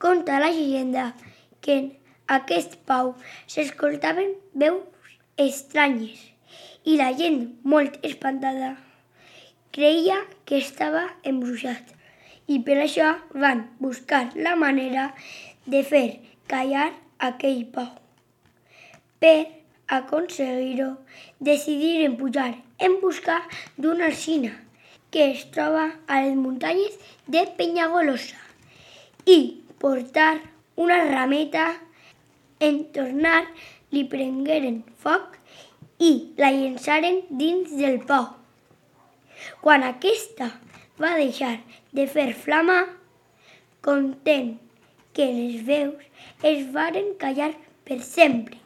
Conta la llegenda que en aquest pau s'escoltaven veus estranyes i la gent, molt espantada, creia que estava embruixat i per això van buscar la manera de fer callar aquell pau. Per aconseguir-ho, decidiren pujar en busca d'una alzina que es troba a les muntanyes de Penyagolosa i portar una rameta. En tornar li prengueren foc i la llançaren dins del pau. Quan aquesta va deixar de fer flama, content que les veus es varen callar per sempre.